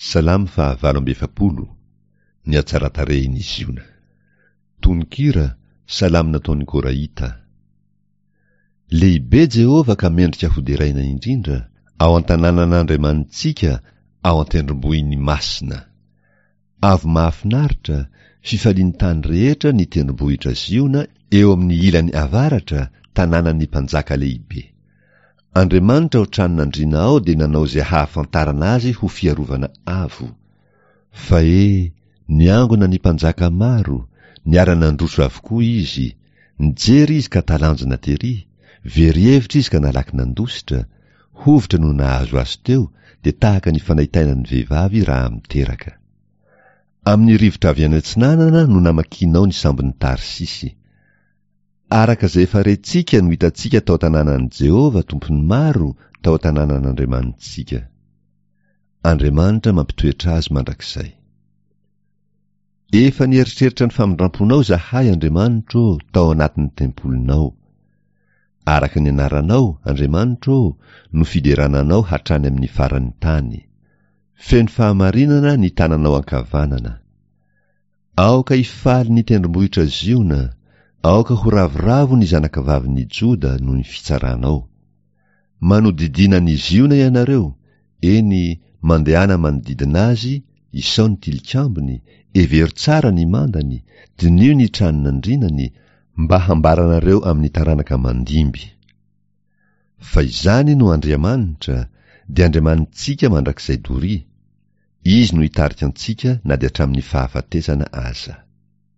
Salamo fahavalo amby 40, Ny hatsaran-tarehin'i Ziona. Tononkira, Salamo nataon'ny Korahita. Lehibe Jehovah ka mendrika hoderaina indrindra, ao an-tanànan'Andriamanitsika, ao an-tendrombohiny masina. Avo mahafinaritra, fifalian'ny tany rehetra ny tendrombohitra Ziona eo amin'ny ilany avaratra, tanànan'ny Mpanjaka lehibe. Andriamanitra ao tranon'andriana ao dia nanao izay hahafantarana azy ho fiarovana avo. Fa he, niangona ny mpanjaka maro, niara-nandroso avokoa izy, nijery izy ka talanjona tery, very hevitra izy ka nalaky nandositra, hovitra no nahazo azy teo dia tahaka ny fanaitainan'ny vehivavy raha miteraka. Amin'ny rivotra avy any atsinanana no namakianao ny sambon'i Tarsisy. Araka izay efa rentsika no hitantsika tao an-tanànan'i Jehovah, Tompon'ny maro, tao an-tanànan'Andriamanitsika. Andriamanitra mampitoetra azy mandrakizay. Efa nieritreritra ny famindramponao izahay, Andriamanitro ô, tao anatin'ny tempolinao. Araka ny anaranao, Andriamanitro ô, no fiderana anao hatrany amin'ny faran'ny tany. Feno fahamarinana ny tananao ankavanana. Aoka hifaly ny tendrombohitra Ziona, aoka ho ravoravo ny zanakavavin'i Joda noho ny fitsaranao. Manodidina an'i Ziona ianareo, eny, mandehana manodidina azy, isao ny tilikambony, hevero tsara ny mandany, diniho ny tranon'andrinany, mba hambaranareo amin'ny taranaka mandimby. Fa izany no Andriamanitra, dia Andriamanitsika mandrakizay doria. Izy no hitarika antsika na dia hatramin'ny fahafatesana aza.